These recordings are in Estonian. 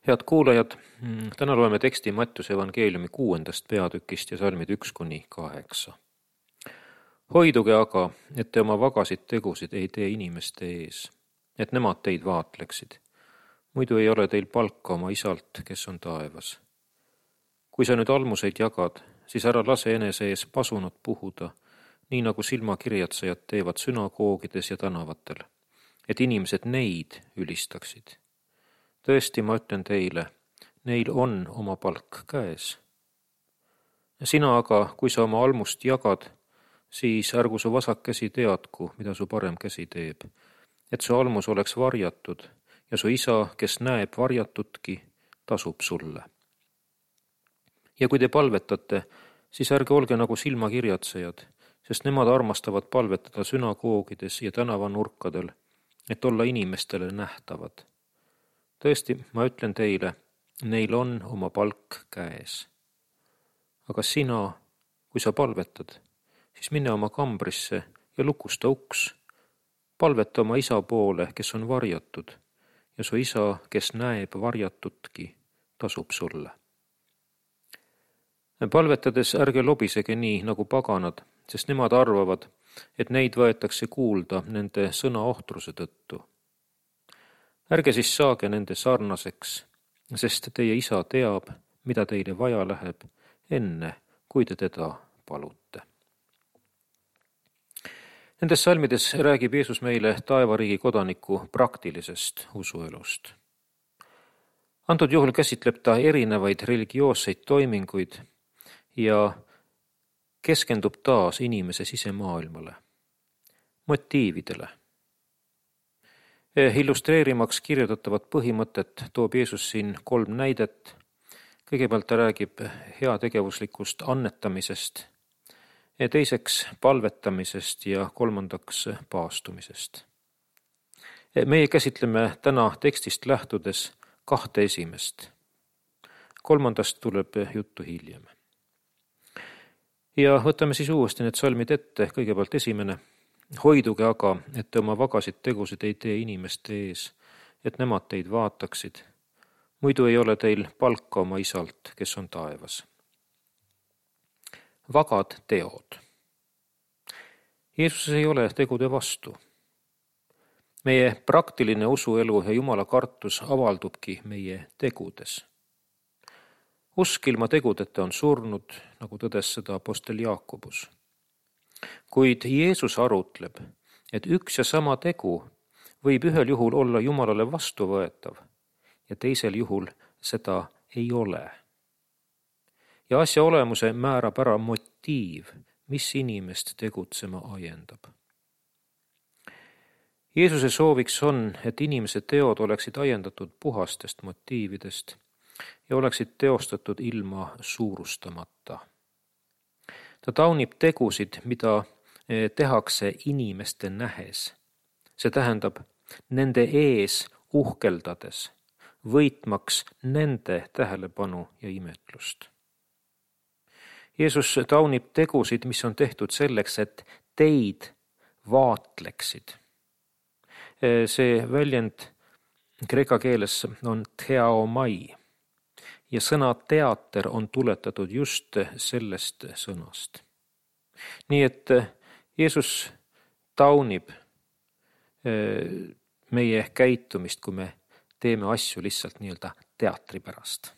Head kuulajad, täna loeme teksti Mattiuse evangeeliumi 6. peatükist ja salmid 1-8. Hoiduge aga, et te oma vagasid tegusid ei tee inimeste ees, et nemad teid vaatleksid. Muidu ei ole teil palka oma isalt, kes on taevas. Kui sa nüüd almuseid jagad, siis ära lase enese ees pasunat puhuda, nii nagu silmakirjatsejad teevad sünagoogides ja tänavatel, et inimesed neid ülistaksid. Tõesti, ma ütlen teile, neil on oma palk käes. Sina aga, kui sa oma almust jagad, siis ärgu su vasak käsi teadku, mida su parem käsi teeb, et su almus oleks varjatud ja su isa, kes näeb varjatutki, tasub sulle. Ja kui te palvetate, siis ärge olge nagu silmakirjatsejad, sest nemad armastavad palvetada sünagoogides ja tänavanurkadel, et olla inimestele nähtavad. Tõesti, ma ütlen teile, neil on oma palk käes. Aga sina, kui sa palvetad, siis mine oma kambrisse ja lukusta uks. Palveta oma isa poole, kes on varjatud, ja su isa, kes näeb varjatutki, tasub sulle. Palvetades ärge lobisege nii nagu paganad, sest nemad arvavad, et neid võetakse kuulda nende sõnaohtruse tõttu. Ärge siis saage nende sarnaseks, sest teie isa teab, mida teile vaja läheb, enne kui te teda palute. Nendes salmides räägib Jeesus meile taevariigi kodaniku praktilisest usuelust. Antud juhul käsitleb ta erinevaid religioosseid toiminguid ja keskendub taas inimese sisemaailmale, motiividele. Illustreerimaks kirjeldatavat põhimõtet toob Jeesus siin 3 näidet. Kõigepealt ta räägib heategevuslikust annetamisest, teiseks palvetamisest ja 3. paastumisest. Meie käsitleme täna tekstist lähtudes 2 esimest. 3. tuleb juttu hiljem. Ja võtame siis uuesti need salmid ette, kõigepealt 1. Hoiduge aga, et te oma vagasid tegusid ei tee inimeste ees, et nemad teid vaataksid. Muidu ei ole teil palka oma isalt, kes on taevas. Vagad teod. Jeesus ei ole tegude vastu. Meie praktiline usuelu ja Jumala kartus avaldubki meie tegudes. Usk ilma tegudeta on surnud, nagu tõdes seda apostel Jaakobus. Kuid Jeesus arutleb, et üks ja sama tegu võib ühel juhul olla Jumalale vastuvõetav ja teisel juhul seda ei ole. Ja asja olemuse määrab ära motiiv, mis inimest tegutsema ajendab. Jeesuse sooviks on, et inimese teod oleksid ajendatud puhastest motiividest ja oleksid teostatud ilma suurustamata. Ta taunib tegusid, mida tehakse inimeste nähes. See tähendab nende ees uhkeldades, võitmaks nende tähelepanu ja imetlust. Jeesus taunib tegusid, mis on tehtud selleks, et teid vaatleksid. See väljend kreeka keeles on theaomai ja sõna teater on tuletatud just sellest sõnast. Nii et Jeesus taunib meie käitumist, kui me teeme asju lihtsalt nii-öelda teatri pärast.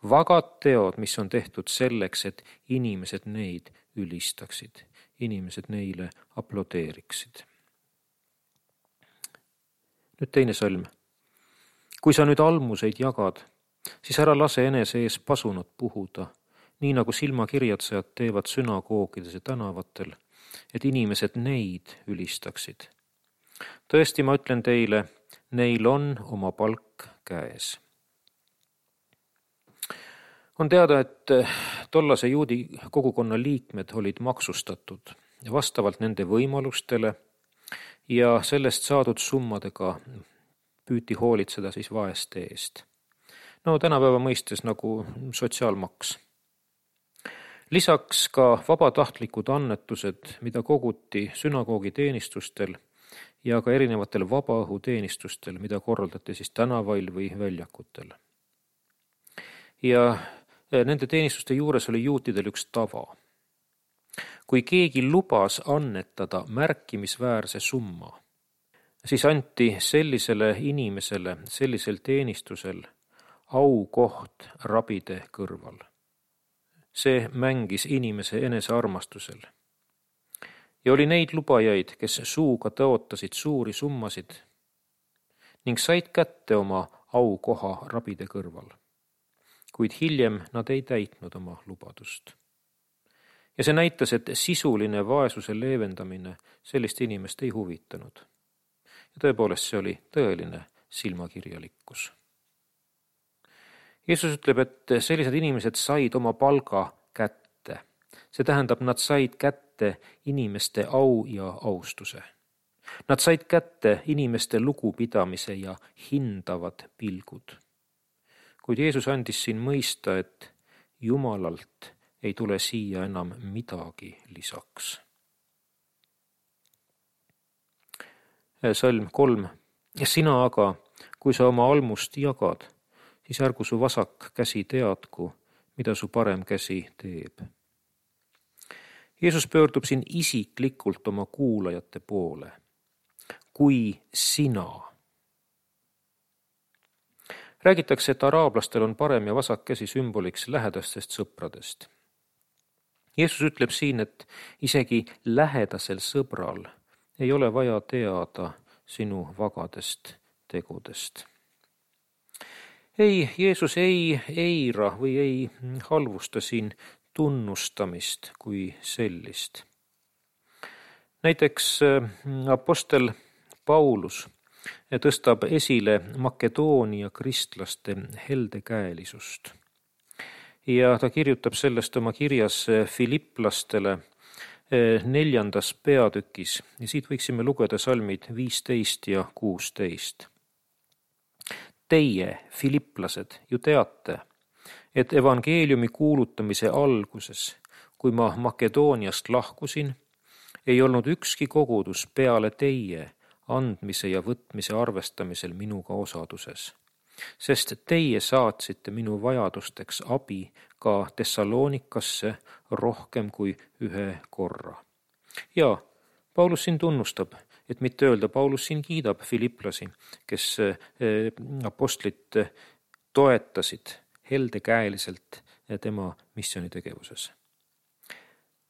Vagad teod, mis on tehtud selleks, et inimesed neid ülistaksid, inimesed neile aplodeeriksid. Nüüd 2. salm. Kui sa nüüd almuseid jagad, siis ära lase enese ees pasunat puhuda, nii nagu silmakirjatsejad teevad sünagoogides ja tänavatel, et inimesed neid ülistaksid. Tõesti, ma ütlen teile, neil on oma palk käes. On teada, et tollase juudi kogukonna liikmed olid maksustatud vastavalt nende võimalustele ja sellest saadud summadega püüti hoolitseda siis vaeste eest. Tänapäeva mõistes nagu sotsiaalmaks. Lisaks ka vabatahtlikud annetused, mida koguti sünagoogi teenistustel ja ka erinevatel vabaõhuteenistustel, mida korraldati siis tänavail või väljakutel. Ja nende teenistuste juures oli juutidel üks tava. Kui keegi lubas annetada märkimisväärse summa, siis anti sellisele inimesele sellisel teenistusel aukoht rabide kõrval. See mängis inimese enesearmastusel. Ja oli neid lubajaid, kes suuga tõotasid suuri summasid ning said kätte oma aukoha rabide kõrval. Kuid hiljem nad ei täitnud oma lubadust. Ja see näitas, et sisuline vaesuse leevendamine sellist inimest ei huvitanud. Ja tõepoolest see oli tõeline silmakirjalikkus. Jeesus ütleb, et sellised inimesed said oma palga kätte. See tähendab, nad said kätte inimeste au ja austuse. Nad said kätte inimeste lugupidamise ja hindavad pilgud. Kuid Jeesus andis siin mõista, et Jumalalt ei tule siia enam midagi lisaks. Salm 3. Sina aga, kui sa oma almust jagad, siis ärgu su vasak käsi teadku, mida su parem käsi teeb. Jeesus pöördub siin isiklikult oma kuulajate poole. Kui sina. Räägitakse, et araablastel on parem ja vasak käsi sümboliks lähedastest sõpradest. Jeesus ütleb siin, et isegi lähedasel sõbral ei ole vaja teada sinu vagadest tegudest. Ei, Jeesus ei eira või ei halvusta siin tunnustamist kui sellist. Näiteks apostel Paulus tõstab esile Makedoonia kristlaste heldekäelisust. Ja ta kirjutab sellest oma kirjas Filipplastele 4. peatükis ja siit võiksime lugeda salmid 15 ja 16. Teie, filipplased, ju teate, et evangeeliumi kuulutamise alguses, kui ma Makedooniast lahkusin, ei olnud ükski kogudus peale teie andmise ja võtmise arvestamisel minuga osaduses, sest teie saatsite minu vajadusteks abi ka Thessalonikasse rohkem kui ühe korra. Ja Paulus siin tunnustab, et mitte öelda, Paulus siin kiidab filipplasi, kes apostlit toetasid heldekäeliselt tema missionitegevuses.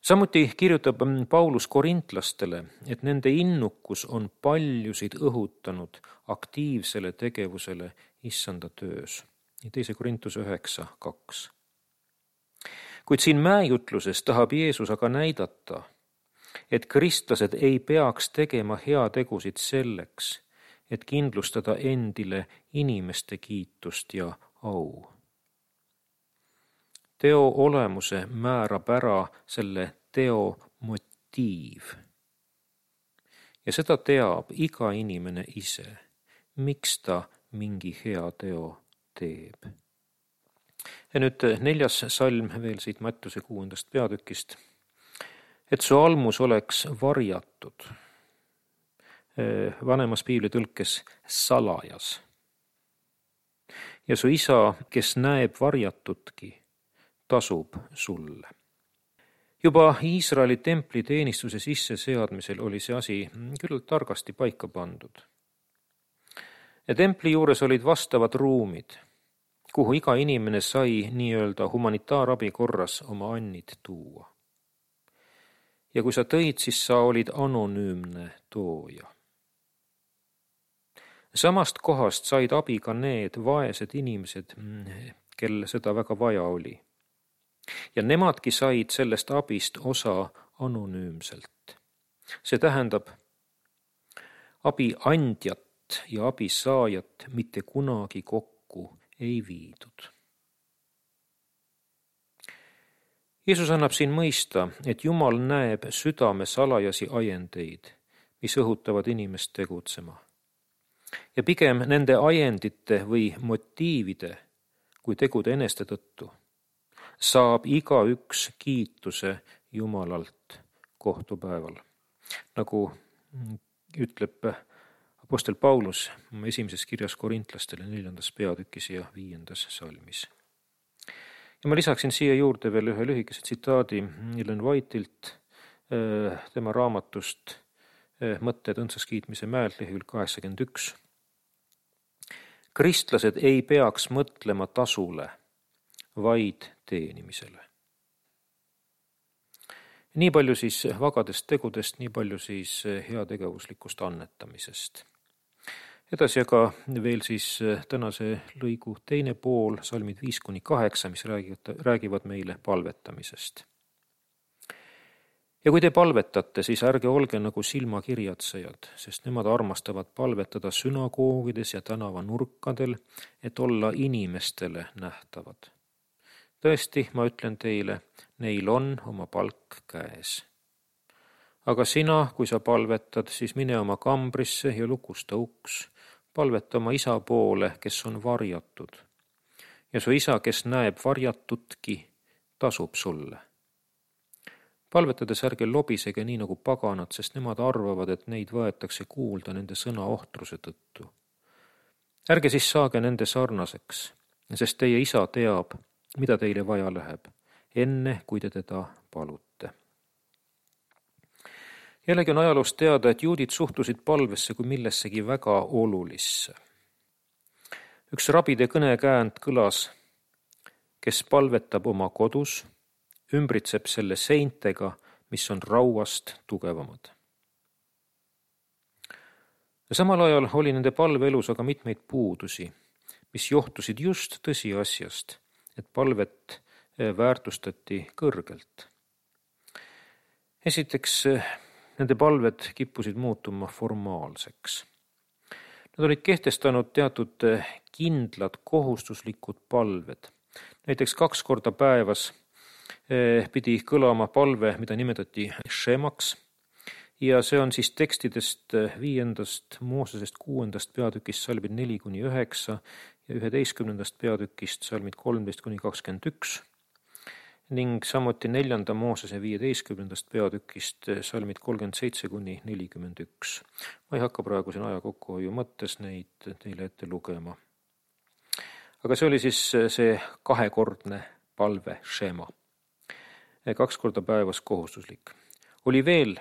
Samuti kirjutab Paulus korintlastele, et nende innukus on paljusid õhutanud aktiivsele tegevusele issanda töös. 2. Korintuse 9:2. Kuid siin mäejutluses tahab Jeesus aga näidata, et kristlased ei peaks tegema heategusid selleks, et kindlustada endile inimeste kiitust ja au. Teo olemuse määrab ära selle teo motiiv. Ja seda teab iga inimene ise, miks ta mingi hea teo teeb. Ja nüüd 4. salm veel siit Mattuse 6. peatükist. Et su almus oleks varjatud. Vanemas piiblitõlkes salajas. Ja su isa, kes näeb varjatutki, tasub sulle. Juba Iisraeli templi teenistuse sisseseadmisel oli see asi küll targasti paika pandud. Ja templi juures olid vastavad ruumid, kuhu iga inimene sai nii-öelda humanitaarabi korras oma annid tuua. Ja kui sa tõid, siis sa olid anonüümne tooja. Samast kohast said abi ka need vaesed inimesed, kel seda väga vaja oli. Ja nemadki said sellest abist osa anonüümselt. See tähendab, abi andjat ja abi saajat mitte kunagi kokku ei viidud. Jeesus annab siin mõista, et Jumal näeb südame salajasi ajendeid, mis õhutavad inimest tegutsema. Ja pigem nende ajendite või motiivide kui tegude eneste tõttu saab igaüks kiituse Jumalalt kohtupäeval. Nagu ütleb Apostel Paulus oma esimeses kirjas korintlastele 4. peatükis ja 5. salmis. Ja ma lisaksin siia juurde veel ühe lühikese tsitaadi Ellen Whiteilt tema raamatust Mõtted õndsaskiitmise mäelt lehekülg 81. Kristlased ei peaks mõtlema tasule, vaid teenimisele. Nii palju siis vagadest tegudest, nii palju siis heategevuslikust annetamisest. Edasi aga veel siis tänase lõigu teine pool, salmid 5-8, mis räägivad meile palvetamisest. Ja kui te palvetate, siis ärge olge nagu silmakirjatsejad, sest nemad armastavad palvetada sünagoogides ja tänavanurkadel, et olla inimestele nähtavad. Tõesti, ma ütlen teile, neil on oma palk käes. Aga sina, kui sa palvetad, siis mine oma kambrisse ja lukusta uks. Palveta oma isa poole, kes on varjatud. Ja su isa, kes näeb varjatutki, tasub sulle. Palvetades ärge lobisege nii nagu paganad, sest nemad arvavad, et neid võetakse kuulda nende sõna ohtruse tõttu. Ärge siis saage nende sarnaseks, sest teie isa teab, mida teile vaja läheb, enne kui te teda palute. Jällegi on ajaloost teada, et juudid suhtusid palvesse kui millessegi väga olulisse. Üks rabide kõnekäänd kõlas, kes palvetab oma kodus, ümbritseb selle seintega, mis on rauast tugevamad. Ja samal ajal oli nende palveelus aga mitmeid puudusi, mis johtusid just tõsiasjast, et palvet väärtustati kõrgelt. Esiteks, nende palved kippusid muutuma formaalseks. Nad olid kehtestanud teatud kindlad kohustuslikud palved. Näiteks 2 korda päevas pidi kõlama palve, mida nimetati šemaks, ja see on siis tekstidest 5. Moosesest 6. peatükist salmid 4-9 ja 11. peatükist salmid 13-21 ning samuti 4. Moosese 15. peatükist salmid 37-41. Ma ei hakka praegu siin aja kokkuhoiu mõttes neid teile ette lugema. Aga see oli siis see 2-kordne palve šema. 2 korda päevas kohustuslik. Oli veel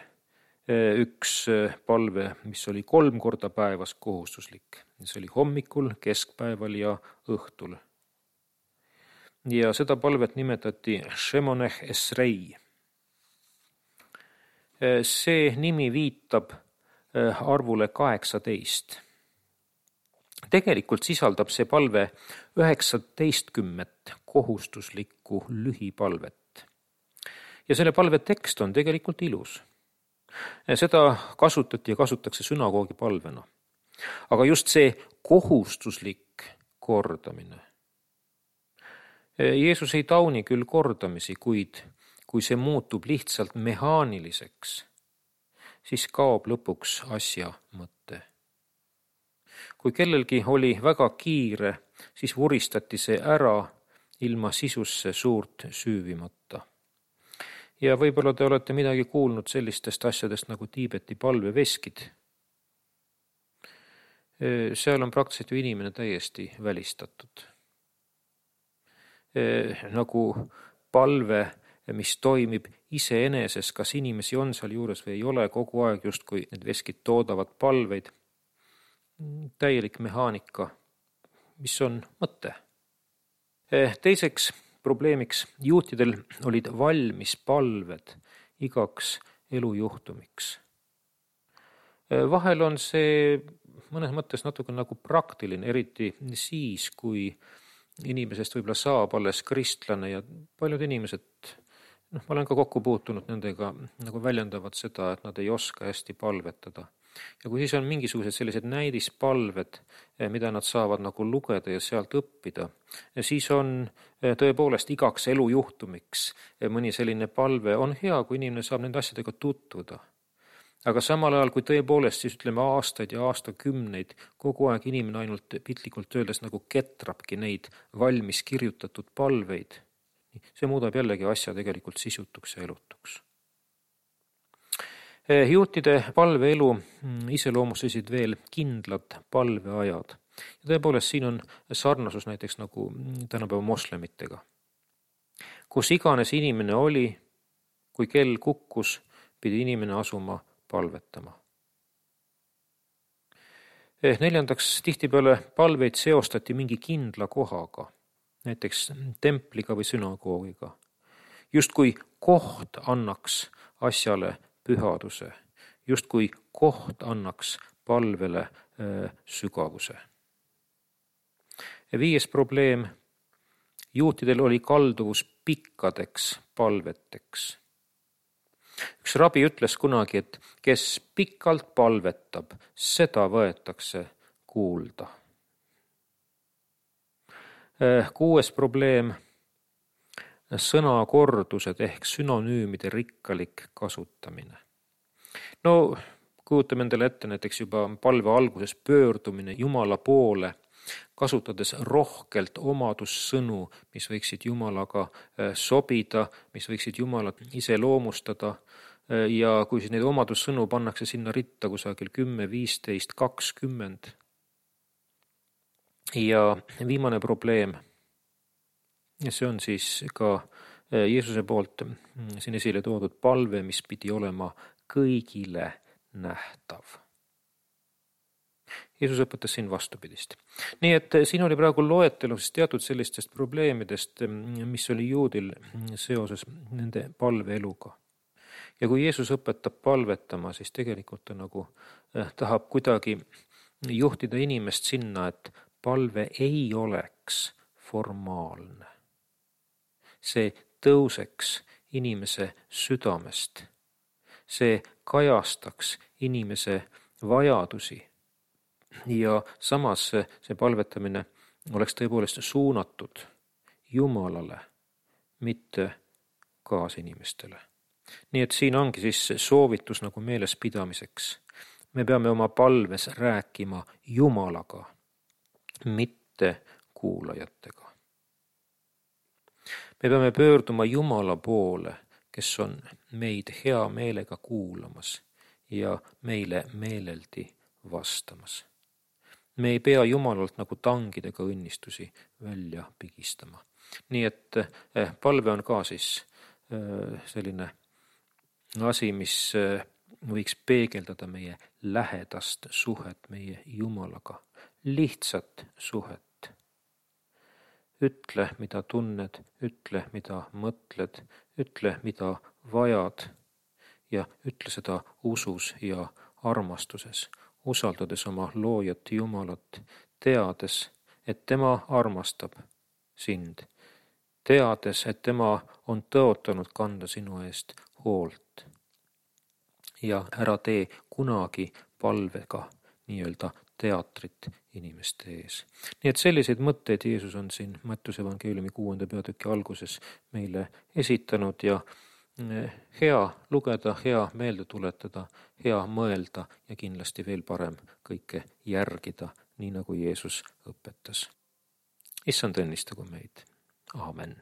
üks palve, mis oli 3 korda päevas kohustuslik. See oli hommikul, keskpäeval ja õhtul. Ja seda palvet nimetati Shemoneh Esrei. See nimi viitab arvule 18. Tegelikult sisaldab see palve 19 kohustuslikku lühipalvet. Ja selle palve tekst on tegelikult ilus. Seda kasutati ja kasutatakse sünagoogi palvena. Aga just see kohustuslik kordamine. Jeesus ei tauni küll kordamisi, kuid kui see muutub lihtsalt mehaaniliseks, siis kaob lõpuks asja mõte. Kui kellelgi oli väga kiire, siis vuristati see ära ilma sisusse suurt süüvimata. Ja võib-olla te olete midagi kuulnud sellistest asjadest nagu Tiibeti palveveskid. Seal on praktiliselt ju inimene täiesti välistatud. Nagu palve, mis toimib iseeneses, kas inimesi on seal juures või ei ole, kogu aeg justkui need veskid toodavad palveid. Täielik mehaanika, mis on mõte. Teiseks probleemiks juutidel olid valmis palved igaks elujuhtumiks. Vahel on see mõnes mõttes natuke nagu praktiline, eriti siis, kui inimesest võib-olla saab alles kristlane ja paljud inimesed, ma olen ka kokku puutunud nendega, nagu väljendavad seda, et nad ei oska hästi palvetada. Ja kui siis on mingisugused sellised näidispalved, mida nad saavad nagu lugeda ja sealt õppida, siis on tõepoolest igaks elujuhtumiks mõni selline palve on hea, kui inimene saab nende asjadega tutvuda. Aga samal ajal, kui tõepoolest siis ütleme aastaid ja aastakümneid, kogu aeg inimene ainult piltlikult öeldes nagu ketrabki neid valmis kirjutatud palveid, see muudab jällegi asja tegelikult sisutuks ja elutuks. Juutide palveelu iseloomustasid veel kindlad palveajad. Ja tõepoolest siin on sarnasus näiteks nagu tänapäeva moslemitega. Kus iganes inimene oli, kui kell kukkus, pidi inimene asuma palvetama. Neljandaks, tihtipeale palveid seostati mingi kindla kohaga, näiteks templiga või sünagoogiga. Justkui koht annaks asjale pühaduse, justkui koht annaks palvele sügavuse. Ja 5. probleem, juutidel oli kalduvus pikkadeks palveteks. Üks rabi ütles kunagi, et kes pikalt palvetab, seda võetakse kuulda. 6. probleem, sõnakordused ehk sünonüümide rikkalik kasutamine. No kujutame endale ette näiteks juba palve alguses pöördumine Jumala poole, kasutades rohkelt omadussõnu, mis võiksid Jumalaga sobida, mis võiksid Jumalat iseloomustada. Ja kui siis neid omadussõnu pannakse sinna ritta kusagil 10, 15, 20. Ja viimane probleem, ja see on siis ka Jeesuse poolt siin esile toodud palve, mis pidi olema kõigile nähtav. Jeesus õpetas siin vastupidist. Nii et siin oli praegu loetelus teatud sellistest probleemidest, mis oli juudil seoses nende palveeluga. Ja kui Jeesus õpetab palvetama, siis tegelikult ta nagu tahab kuidagi juhtida inimest sinna, et palve ei oleks formaalne. See tõuseks inimese südamest. See kajastaks inimese vajadusi. Ja samas see palvetamine oleks tõepoolest suunatud Jumalale, mitte kaasinimestele. Nii et siin ongi siis soovitus nagu meeles pidamiseks. Me peame oma palves rääkima Jumalaga, mitte kuulajatega. Me peame pöörduma Jumala poole, kes on meid hea meelega kuulamas ja meile meeleldi vastamas. Me ei pea Jumalalt nagu tangidega õnnistusi välja pigistama. Nii et palve on ka siis selline asi, mis võiks peegeldada meie lähedast suhet meie Jumalaga, lihtsat suhet. Ütle, mida tunned, ütle, mida mõtled, ütle, mida vajad ja ütle seda usus ja armastuses, usaldades oma loojat Jumalat, teades, et tema armastab sind, teades, et tema on tõotanud kanda sinu eest hoolt. Ja ära tee kunagi palvega nii-öelda teatrit inimeste ees. Nii et selliseid mõtteid Jeesus on siin Mattiuse evangeeliumi 6. peatüki alguses meile esitanud ja hea lugeda, hea meelde tuletada, hea mõelda ja kindlasti veel parem kõike järgida, nii nagu Jeesus õpetas. Issand õnnistagu meid. Aamen.